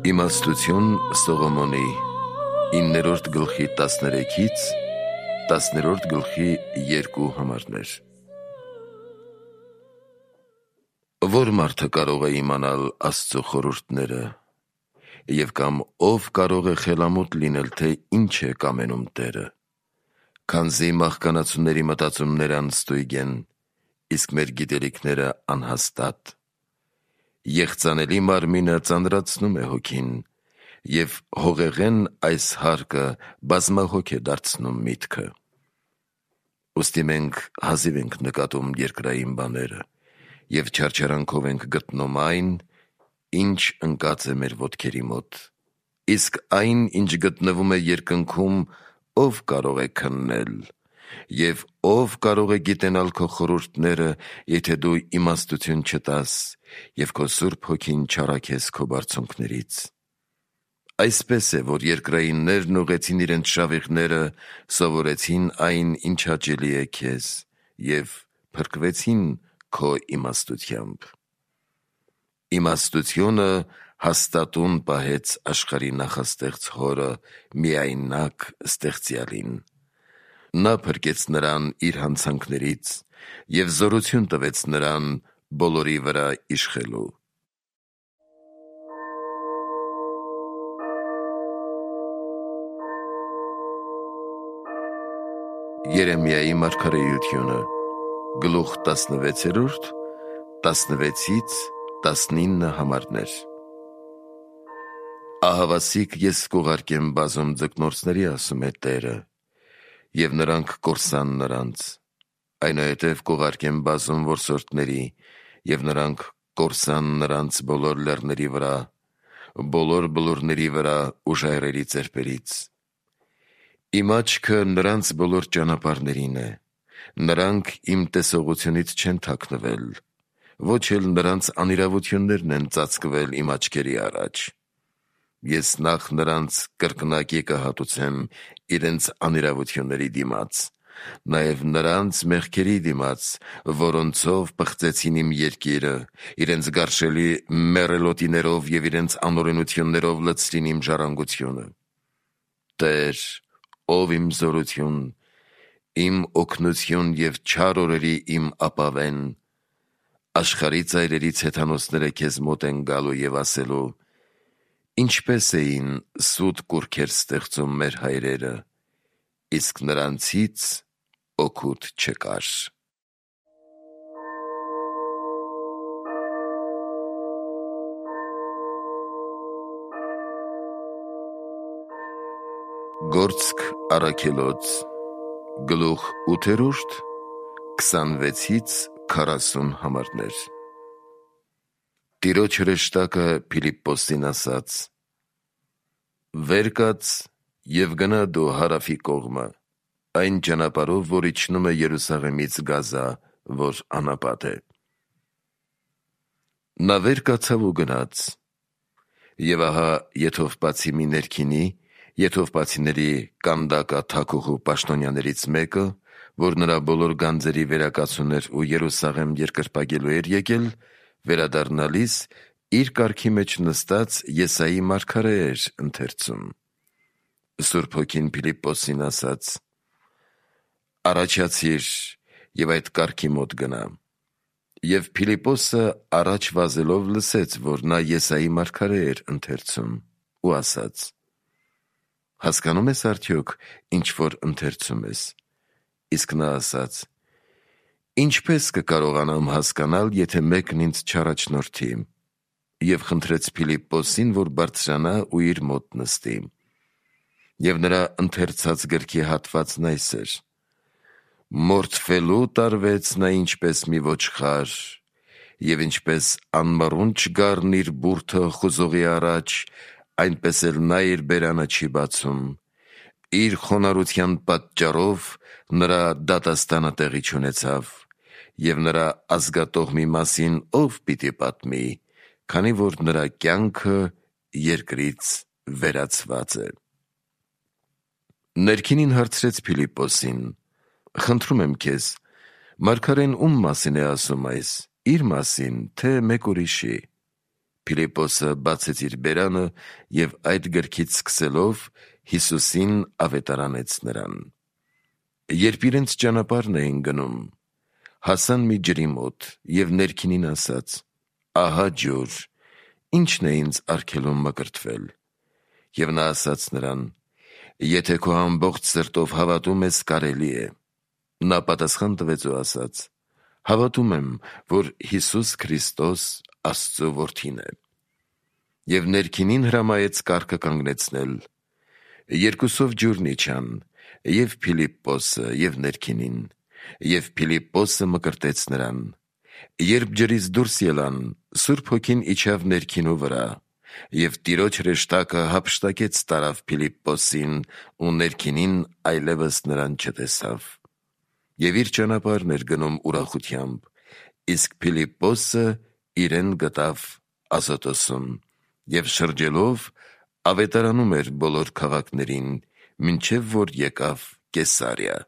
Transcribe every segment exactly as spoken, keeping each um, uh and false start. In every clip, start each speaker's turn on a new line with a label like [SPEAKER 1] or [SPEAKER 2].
[SPEAKER 1] Իմաստություն Սողոմոնի իններորդ գլխի տասներեքից տասներորդ գլխի երկու համարներ։ Որ մարդը կարող է իմանալ Աստծո խորհուրդները, և կամ ով կարող է խելամոտ լինել, թե ինչ է կամենում Տերը, քանզի մահկանացուների մտածումները անստույգ են, իսկ մեր գիտելիքները անհաստատ։ Եղծանելի մարմինը ծանրացնում է հոգին, և հողեղեն այս հարկը բազմահոգ է դարձնում միտքը։ Ուստի մենք հազիվ ենք նկատում երկրային բաները, և չարչարանքով ենք գտնում այն, ինչ ընկած է մեր ոտքերի մոտ, իսկ այն, ինչ գտնվում է երկնքում, ով կարող է քննել, և ով կարող է գիտենալ քո խորհուրդները, եթե դու իմաստություն չտաս և քո Սուրբ Հոգին չառաքես քո բարձունքներից։ Այսպես է, որ երկրայիններն ուղղեցին իրենց շավիղները, սովորեցին այն, ինչ հաճելի է քեզ, և փրկվեցին քո իմաստությամբ։ Իմաստությունը հաստատուն պահեց աշխարհի նախաստեղծ Հորը միայնակ ստեղծյալին։ Նա փրկեց նրան իր հանցանքներից և զորություն տվեց նրան բոլորի վրա իշխելու։ Երեմիայի մարգարեությունը գլուխ տասնվեցերորդ տասնվեցից տասնինը համարներ։ Ահավասիկ ես կուղարկեմ բազում ձկնորսների, ասում է Տերը, և նրանք կորսան նրանց, այնուհետև կուղարկեմ բազում որսորդների, և նրանք կորսան նրանց բոլոր լեռների վրա, բոլոր բլուրների վրա ու ժայռերի ծերպերից։ Իմ աչքը նրանց բոլոր ճանապարհներին է, նրանք իմ տեսողությունից չեն թաքնվել, ոչ էլ նրանց անիրավություններն են ծածկվել իմ աչքերի առաջ։ Ես նախ նրանց կրկնակի կհատուցեմ իրենց անիրավությունների դիմաց, նաև նրանց մեղքերի դիմաց, որոնցով պղծեցին իմ երկիրը, իրենց գարշելի մեռելոտիներով և իրենց անօրենություններով լցրին իմ ժառանգությունը։ Տեր, ով իմ զորություն, իմ օգնություն և չար օրերի իմ ապավեն, աշխարհի ծայրերից հեթանոսները քեզ մոտ են գալու և ասելու. ինչպես էին սուտ կուռքեր ստեղծում մեր հայրերը, իսկ նրանցից օգուտ չկար։ Գործք առաքելոց գլուխ ութերորդ քսանվեցից քառասուն համարներ։ Տիրոջ հրեշտակը Փիլիպպոսին ասաց. վեր կաց և գնա դու հարավի կողմը, այն ճանապարհով, որ իջնում է Երուսաղեմից Գազա, որ անապատ է։ Նա վեր կացավ ու գնաց, և ահա Եթովպացի մի ներքինի, Եթովպացիների կանդակա թագուհու պաշտոնյաներից մեկը, որ նրա բոլոր գանձերի վերակացուն էր ու Երուսաղեմ երկրպագելու էր եկել, վերադառնալիս իր կառքի մեջ նստած Եսայի մարգարե էր ընթերցում։ Սուրբ Հոգին Փիլիպպոսին ասաց. առաջացիր և այդ կառքի մոտ գնա։ Եվ Փիլիպպոսը առաջ վազելով լսեց, որ նա Եսայի մարգարե էր ընթերցում, ու ասաց. հասկանո՞ւմ ես արդյոք, ինչ որ ընթերցում ես։ Իսկ նա ասաց. ինչպես կկարողանամ հասկանալ, եթե մեկն ինձ չառաջնորդի։ Եվ խնդրեց Փիլիպպոսին, որ բարձրանա ու իր մոտ նստի։ Եվ նրա ընթերցած գրքի հատվածն այս էր. մորթվելու տարվեց նա ինչպես մի ոչխար, և ինչպես անմռունչ գառն իր բուրդը խուզողի առաջ, այնպես էլ նա իր բերանը չի բացում, իր խոնարհության պատճառով նրա դատաստանը տեղի չունեցավ, և նրա ազգատողմի մասին ով պիտի պատմի, քանի որ նրա կյանքը երկրից վերացված է։ Ներքինին հարցրեց Փիլիպպոսին. խնդրում եմ քեզ, մարգարեն ում մասին է ասում այս, իր մասի՞ն, թե մեկ ուրիշի։ Փիլիպոսը բացեց իր բերանը և այդ գրքից սկսելով Հիսուսին ավետարանեց նրան։ Երբ իրենց ճանապարհն էին գնում, հասան մի ջրի մոտ և ներքինին ասաց. «Ահա ջուր, ի՞նչն է ինձ արգելում մկրտվել»։ Եվ նա ասաց նրան. «Եթե քո ամբողջ սրտով հավատում ես, կարելի է»։ Նա պատասխան տվեց ու ասաց. «Հավատում եմ, որ Հիսուս Քրիստոս Աստծո Որդին է»։ Եվ ներքինին հրամայեց կառքը կանգնեցնել։ Երկուսով ջուրն իջան, և Փիլիպպոսը, և ներքինին, և Փիլիպպոսը մկրտեց նրան։ Երբ ջրից դուրս ելան, Սուրբ Հոգին իջավ ներքինու վրա, և Տիրոջ հրեշտակը հափշտակեց տարավ Փիլիպպոսին, ու ներքինին այլևս նրան չտեսավ։ Եվ իր ճանապարհն էր գնում ուրախությամբ, իսկ Փիլիպպոսը իրեն գտավ Ազոտոսում, և շրջելով ավետարանում էր բոլոր քաղաքներին, մինչև որ եկավ Կեսարիա։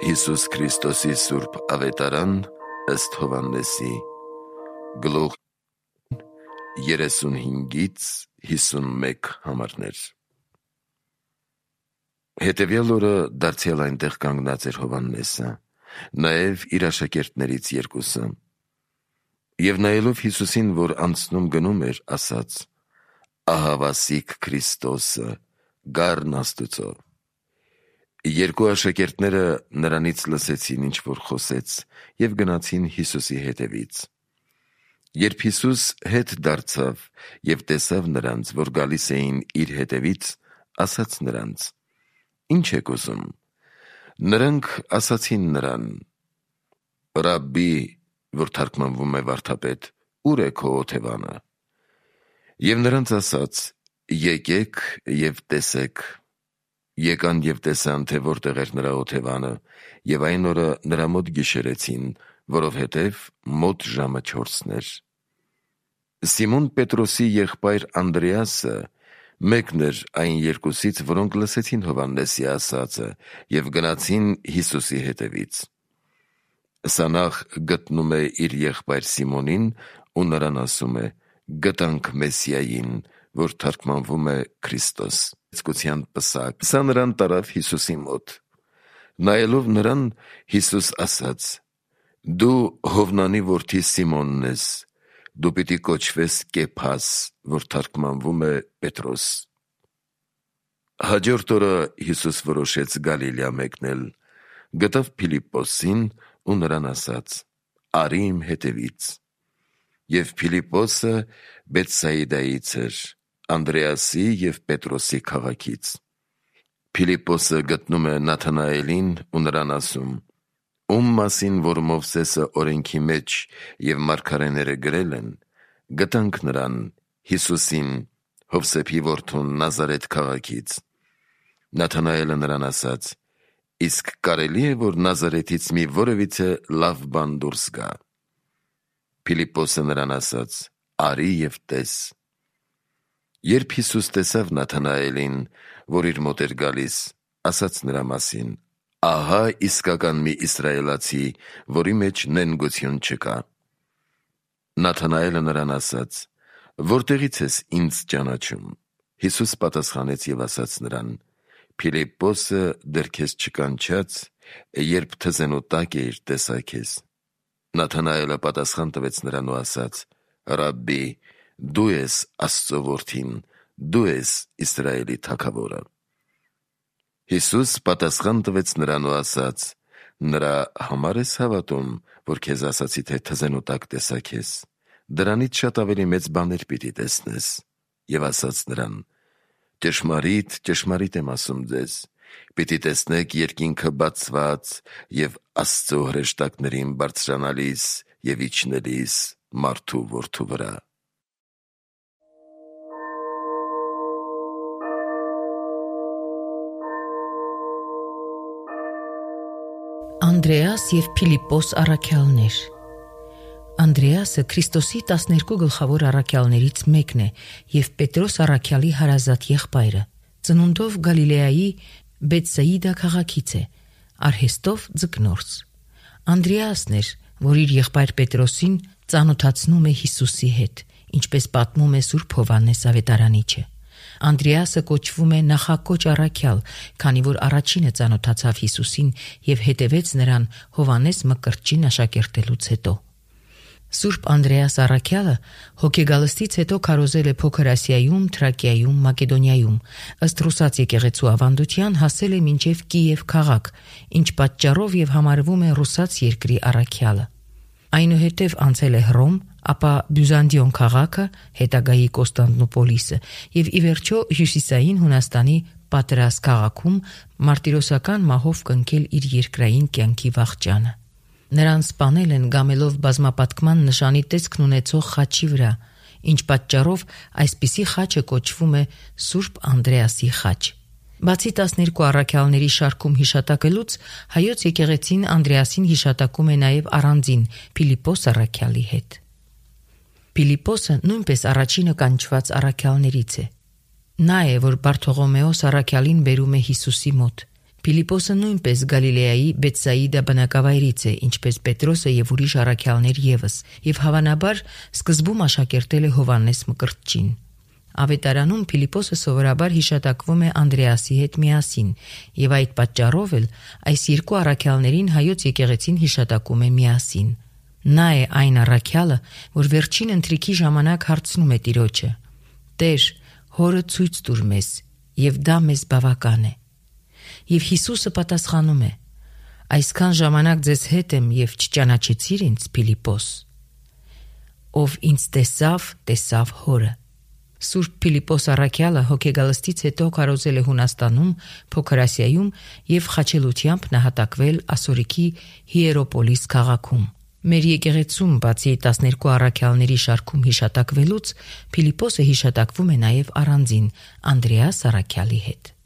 [SPEAKER 1] Հիսուս Քրիստոսի սուրբ ավետարան ըստ Հովհաննեսի, գլուխ երեսունհինգից հիսունմեկ համարներ։ Հետևյալ օրը դարձյալ այնտեղ կանգնած էր Հովհաննեսը, նաև իր աշակերտներից երկուսը։ Եվ նայելով Հիսուսին, որ անցնում գնում էր, ասաց. «Ահա Վասիկ Քրիստոսը, գառն Աստուծո»։ Երկու աշակերտները նրանից լսեցին, ինչ որ խոսեց, և գնացին Հիսուսի հետևից։ Երբ Հիսուս հետ դարձավ և տեսավ նրանց, որ գալիս էին իր հետևից, ասաց նրանց. «Ի՞նչ եք ուզում»։ Նրանք ասացին նրան. «Ռաբբի», որ թարգմանվում է վարդապետ, «Ո՞ւր է քո օթևանը»։ Եվ նրանց ասաց. «Եկեք և տեսեք»։ Եկան և տեսան, թե որտեղ էր նրա օթևանը, և այն օրը նրա մոտ գիշերեցին, որովհետև մոտ ժամը չորսն էր։ Սիմոն Պետրոսի եղբայր Անդրեասը մեկն էր այն երկուսից, որոնք լսեցին Հովհաննեսի ասածը և գնացին Հիսուսի հետևից։ Սա նախ գտնում է իր եղբայր Սիմոնին ու նրան ասում է. «Գտանք Մեսիային», որ թարգմանվում է Քրիստոս, ցկության պսակ։ Սա նրան տարավ Հիսուսի մոտ։ Նայելով նրան, Հիսուս ասաց. «Դու Հովնանի որդի Սիմոնն ես, դու պիտի կոչվես Կեփաս», որ թարգմանվում է Պետրոս։ Հաջորդ օրը Հիսուս որոշեց Գալիլեա մեկնել, գտավ Փիլիպպոսին ու նրան ասաց. «Արի իմ հետևից»։ Եվ Փիլիպպոսը Բեթսայիդայից էր, Անդրեասի և Պետրոսի քաղաքից։ Փիլիպպոսը գտնում է Նաթանայելին ու նրան ասում. «Ում մասին որ Մովսեսը օրենքի մեջ և մարգարեները գրել են, գտանք նրան, Հիսուսին, Հովսեփի որդուն Նազարեթ քաղաքից»։ Նաթանայելը նրան ասաց. «Իսկ կարելի է, որ Նազարեթից մի որևիցե լավ բան դուրս գա»։ Փիլիպպոսը նրան ասաց. «Արի և տես»։ Երբ Հիսուս տեսավ Նաթանայելին, որ իր մոտ էր գալիս, ասաց նրա մասին. «Ահա իսկական մի իսրայելացի, որի մեջ նենգություն չկա»։ Նաթանայելը նրան ասաց. «Որտեղից ես ինձ ճանաչում»։ Հիսուս պատասխանեց և ասաց նրան. «Փիլիպպոսը դեռ քեզ չկանչած, երբ թզենու տակ էիր, տեսա քեզ»։ Նաթանայելը պատասխան տվեց նրան ու ասաց. «Ռաբբի, դու ես Աստծո Որդին, դու ես Իսրայելի Թագավորը»։ Հիսուս պատասխան տվեց նրան ու ասաց. «Նրա համար ես հավատում, որ քեզ ասացի, թե թզենու տակ տեսա քեզ. դրանից շատ ավելի մեծ բաներ պիտի տեսնես»։ Եվ ասաց նրան. «Ճշմարիտ, ճշմարիտ եմ ասում ձեզ. պիտի տեսնեք երկինքը բացված և Աստծո հրեշտակներին բարձրանալիս և իջնելիս մարդու որդու վրա»։
[SPEAKER 2] Անդրեաս և Փիլիպպոս առաքյալներ։ Անդրեասը Քրիստոսի տասներկու գլխավոր առաքյալներից մեկն է և Պետրոս առաքյալի հարազատ եղբայրը, ծնունդով Գալիլեայի Բեթսայիդա քաղաքից է, արհեստով ձկնորս։ Անդրեասն էր, որ իր եղբայր Պետրոսին ծանոթացնում է Հիսուսի հետ, ինչպես պատմում է Սուրբ Հովհաննես Ավետարանիչը։ Անդրեասը կոչվում է նախակոչ առաքյալ, քանի որ առաջինը ծանոթացավ Հիսուսին եւ հետևեց նրան Հովհաննես Մկրտչին աշակերտելուց հետո։ Սուրբ Անդրեաս առաքյալը հոգեգալստից հետո քարոզել է Փոքր Ասիայում, Թրակիայում, Մակեդոնիայում, ըստ ռուսաց եկեղեցու ավանդության հասել է մինչև Կիև քաղաք, ինչ պատճառով եւ համարվում է ռուսաց երկրի առաքյալը։ Այնուհետև անցել է Հռոմ, ապա Բյուզանդիոն քաղաքը, հետագայի Կոստանդնուպոլիսը եւ ի վերջո հյուսիսային Հունաստանի Պատրաս քաղաքում մարտիրոսական մահով կնքել իր երկրային կյանքի վախճանը։ Նրան սպանել են գամելով բազմապատկման նշանի տեսքն ունեցող խաչի վրա, ինչ պատճառով այսպիսի խաչը կոչվում է Սուրբ Անդրեասի խաչ։ Բացի տասներկու առաքյալների շարքում հիշատակելուց, հայոց եկեղեցին Անդրեասին հիշատակում է նաև առանձին Փիլիպպոս առաքյալի հետ։ Փիլիպպոսը նույնպես առաջինը կանչված առաքյալներից է։ Նա է, որ Բարթողոմեոս առաքյալին բերում է Հիսուսի մոտ։ Փիլիպպոսը նույնպես Գալիլեայի Բեթսայիդա բնակավայրից է, ինչպես Պետրոսը եւ ուրիշ առաքյալներ եւս, եւ հավանաբար սկզբում աշակերտել է Հովհաննես Մկրտչին։ Ավետարանում Փիլիպպոսը սովորաբար հիշատակվում է Անդրեասի հետ միասին, եւ այդ պատճառով էլ այս երկու առաքյալներին հայոց եկեղեցին հիշատակում է միասին։ Նա է այն առաքյալը, որ վերջին ընթրիքի ժամանակ հարցնում է Տիրոջը. «Տեր, հորը ցույց տուր մեզ, եւ դա մեզ բավական է»։ Եվ Հիսուսը պատասխանում է. «Այսքան ժամանակ ձեզ հետ եմ եւ չճանաչեցիր ինձ, Փիլիպպոս։ Ով ինձ տեսավ, տեսավ հորը»։ Սուրբ Փիլիպպոս առաքյալը հոգեգալստից հետո քարոզել է Հունաստանում, Փոքր Ասիայում եւ խաչելությամբ նահատակվել Ասորիքի Հիերոպոլիս քաղաքում։ Մեր եկեղեցում բացի տասներկու առաքյալների շարքում հիշատակվելուց, Փիլիպպոսը հիշատակվում է նաև առանձին Անդրեաս առաքյալի հետ։